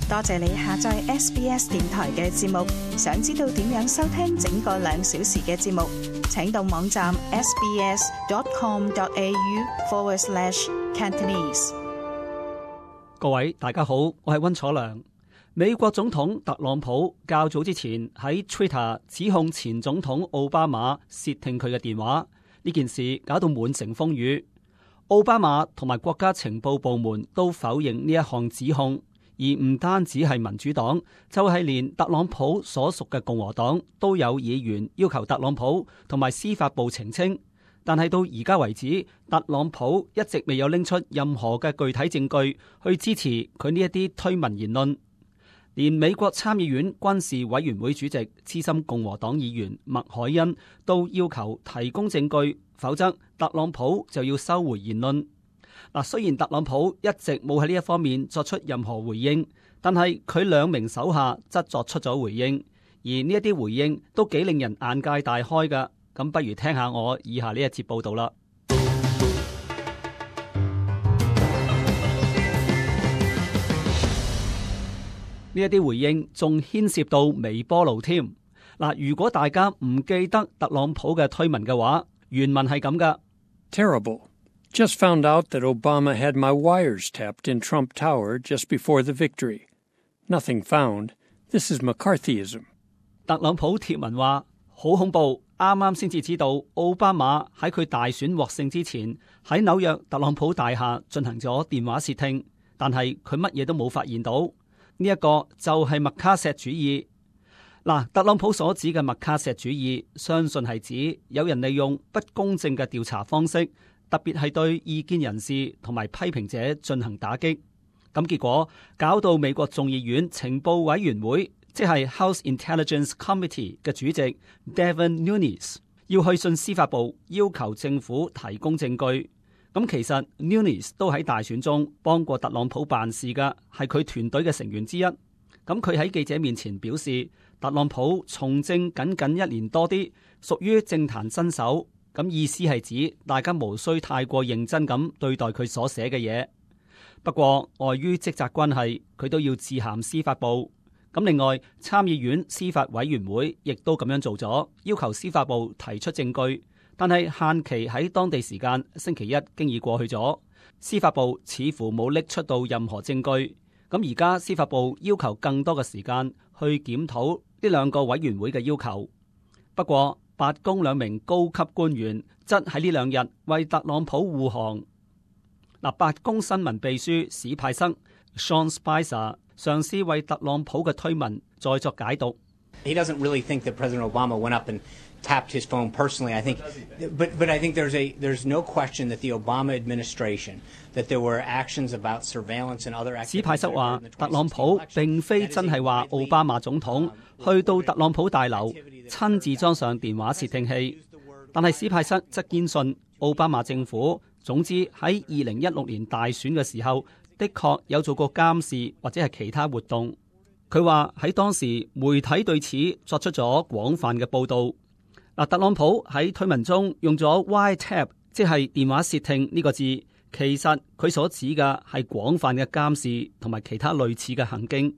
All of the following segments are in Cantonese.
多謝你下載 SBS 電台嘅節目。想知道點樣收聽整個2小時嘅節目，請到網站 sbs.com.au/Cantonese。各位大家好，我係溫楚良。美國總統特朗普較早之前喺 Twitter 指控前總統奧巴馬竊聽佢嘅電話，呢件事搞到滿城風雨。奧巴馬同埋國家情報部門都否認呢一項指控，而唔單止係民主黨，就係連特朗普所屬嘅共和黨都有議員要求特朗普同埋司法部澄清。但係到而家為止，特朗普一直未有拎出任何嘅具體證據去支持佢呢一啲推文言論。連美國參議院軍事委員會主席資深共和黨議員麥凱恩都要求提供證據，否則特朗普就要收回言論。雖然特朗普一直冇喺呢一方面作出任何回應，但係佢2名手下則作出咗回應，而呢一啲回應都幾令人眼界大開㗎。咁不如聽下我以下呢一節報道啦。呢一啲回應仲牽涉到微波爐添。如果大家唔記得特朗普嘅推文嘅話，原文係咁噶。Terrible. Just found out that Obama had my wires tapped in Trump Tower just before the victory. Nothing found. This is McCarthyism. 特朗普貼文話好恐怖。啱啱先至知道奧巴馬喺佢大選獲勝之前喺紐約特朗普大廈進行咗電話竊聽，但係佢乜嘢都冇發現到。呢一個就係麥卡錫主義。特朗普所指嘅麥卡錫主義，相信係指有人利用不公正嘅調查方式，特別係對意見人士同埋批評者進行打擊。咁結果搞到美國眾議院情報委員會，即係 House Intelligence Committee 嘅主席 Devin Nunes 要去信司法部，要求政府提供證據。咁其實 Nunes 都喺大選中幫過特朗普辦事㗎，係佢團隊嘅成員之一。咁佢喺記者面前表示，特朗普從政僅1年多啲，屬於政壇新手。咁意思係指大家無需太過認真咁對待佢所寫嘅嘢。不過礙於職責關係，佢都要致函司法部。咁另外，參議院司法委員會亦都咁樣做咗，要求司法部提出證據，但係限期喺當地時間星期一經已過去咗，司法部似乎冇拎出到任何證據。咁而家司法部要求更多嘅時間去檢討呢2個委員會嘅要求。不過白宮2名高級官員則喺呢2日為特朗普護航。白宮新聞秘書史派塞 Sean Spicer 嘗試為特朗普嘅推文再作解讀。He doesn't really think that President Obama went up and tapped his phone personally. I think, but I think there's no question that the Obama administration, that there were actions about surveillance and other activities. 史派塞話，特朗普並非真係話奧巴馬總統去到特朗普大樓親自裝上電話竊聽器，但係史派塞則堅信奧巴馬政府總之喺2016年大選嘅時候，的確有做過監視或者係其他活動。佢話喺當時媒體對此作出咗廣泛嘅報導。特朗普喺推文中用咗 wiretap， 即係電話竊聽呢個字，其實佢所指嘅係廣泛嘅監視同埋其他類似嘅行徑。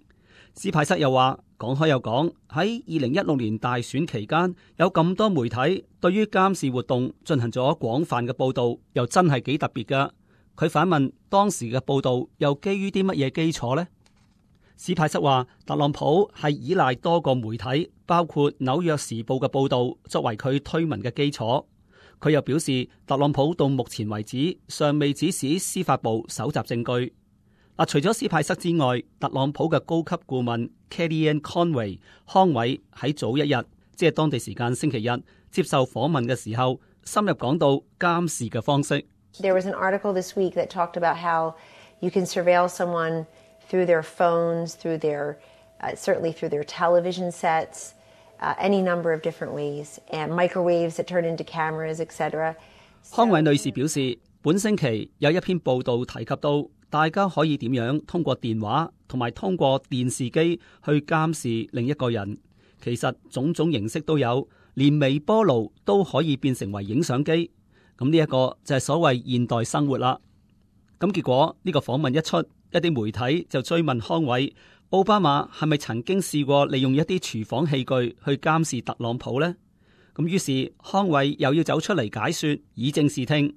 史派塞又話，講開又講，喺2016年大選期間有咁多媒體對於監視活動進行咗廣泛嘅報導，又真係幾特別㗎。佢反問當時嘅報導又基於啲乜嘢基礎呢？史派塞話，特朗普係依賴多個媒體，包括紐約時報嘅報導作為佢推文嘅基礎。佢又表示，特朗普到目前為止尚未指使司法部搜集證據。除咗史派塞之外，特朗普嘅高級顧問 Kellyanne Conway 康偉喺早一日，即係當地時間星期日接受訪問嘅時候，深入講到監視嘅方式。There was an article this week that talked about how you can surveil someone through their phones, through their, certainly through their television sets, any number of different ways, and microwaves that turn into cameras, etc. 康偉女士表示，本星期有一篇報道提及到大家可以點樣通過電話同埋通過電視機去監視另一個人。其實種種形式都有，連微波爐都可以變成為影相機。咁呢一個就係所謂現代生活啦。咁結果呢個訪問一出，一啲媒體就追問康偉，奧巴馬係咪曾經試過利用一啲廚房器具去監視特朗普呢？咁於是康偉又要走出嚟解說，以正視聽。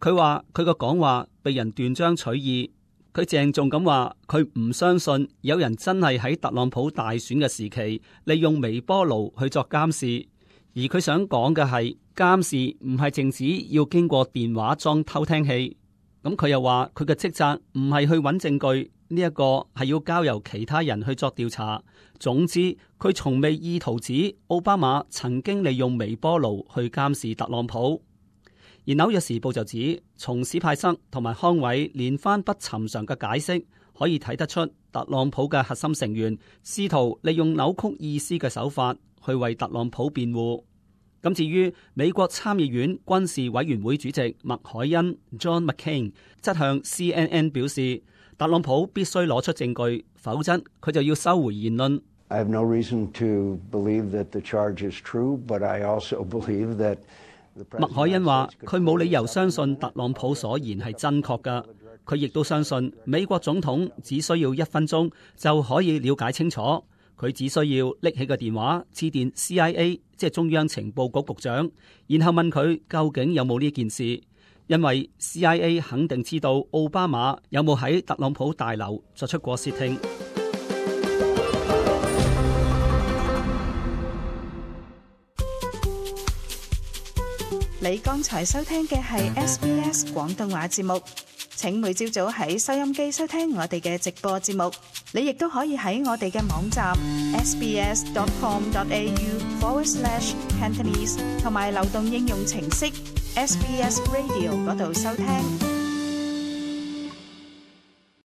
佢話佢個講話被人斷章取義，佢鄭重咁話佢唔相信有人真係喺特朗普大選嘅時期利用微波爐去作監視，而佢想講嘅係監視唔係淨止要經過電話裝偷聽器。咁佢又話佢嘅職責唔係去揾證據，呢一個係要交由其他人去作調查。總之，佢從未意圖指奧巴馬曾經利用微波爐去監視特朗普。而紐約時報就指，從史派塞同埋康偉連番不尋常嘅解釋，可以睇得出特朗普嘅核心成員試圖利用扭曲意思嘅手法去為特朗普辯護。咁至於美國參議院軍事委員會主席麥凱恩 John McCain 則向 CNN 表示，特朗普必須攞出證據，否則佢就要收回言論。I have no reason to believe that the charge is true, but I also believe that 麥凱恩話佢冇理由相信特朗普所言係真確㗎，佢亦都相信美國總統只需要1分鐘就可以了解清楚，佢只需要拎起個電話致電 CIA， 即係中央情報局局長，然後問佢究竟有冇呢件事，因為 CIA 肯定知道奧巴馬有冇喺特朗普大樓作出過竊聽。你剛才收聽嘅係 SBS 廣東話節目，請每朝早喺收音機收聽我哋嘅直播節目。你亦都可以喺我哋嘅網站 sbs.com.au/Cantonese 同埋流動應用程式 SBS Radio 嗰度收聽。